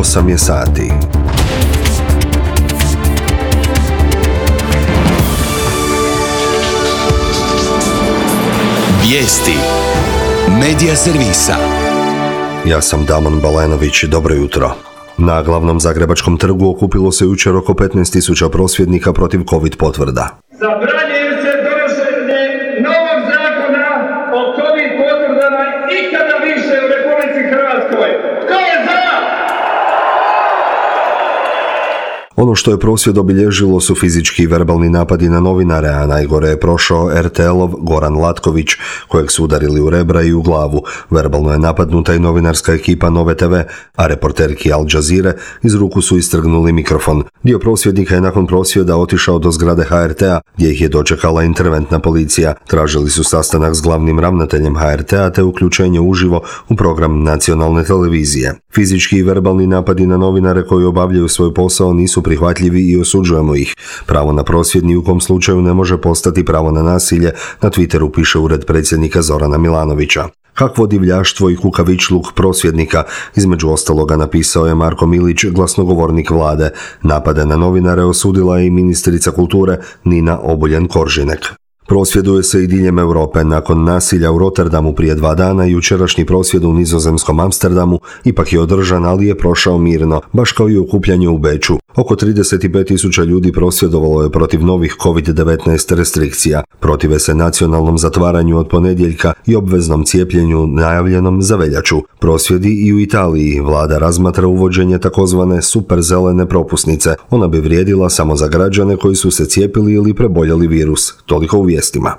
8 je sati. Vijesti Medija servisa. Ja sam Damon Balenović, dobro jutro. Na glavnom zagrebačkom trgu okupilo se jučer oko 15.000 prosvjednika protiv COVID potvrda. Zabranjuje se donošenje novog zakona o COVID potvrdama ikada više u Republici Hrvatskoj. Tko je za? Ono što je prosvjed obilježilo su fizički i verbalni napadi na novinare, a najgore je prošao RTL-ov Goran Latković, kojeg su udarili u rebra i u glavu. Verbalno je napadnuta i novinarska ekipa Nove TV, a reporterki Al Jazeere iz ruku su istrgnuli mikrofon. Dio prosvjednika je nakon prosvjeda otišao do zgrade HRT-a, gdje ih je dočekala interventna policija. Tražili su sastanak s glavnim ravnateljem HRT-a te uključenje uživo u program nacionalne televizije. Fizički i verbalni napadi na novinare koji obavljaju svoj posao nisu prihvatljivi i osuđujemo ih. Pravo na prosvjed ni u kom slučaju ne može postati pravo na nasilje, na Twitteru piše ured predsjednika Zorana Milanovića. Kakvo divljaštvo i kukavičluk prosvjednika, između ostaloga napisao je Marko Milić, glasnogovornik vlade. Napade na novinare osudila je i ministrica kulture Nina Obuljen-Koržinek. Prosvjeduje se i diljem Europe. Nakon nasilja u Rotterdamu prije 2 dana, jučerašnji prosvjed u nizozemskom Amsterdamu ipak je održan, ali je prošao mirno, baš kao i okupljanje u Beču. Oko 35.000 ljudi prosvjedovalo je protiv novih COVID-19 restrikcija. Protive se nacionalnom zatvaranju od ponedjeljka i obveznom cijepljenju najavljenom za veljaču. Prosvjedi i u Italiji. Vlada razmatra uvođenje takozvane superzelene propusnice. Ona bi vrijedila samo za građane koji su se cijepili ili preboljeli virus. Toliko u vijestima.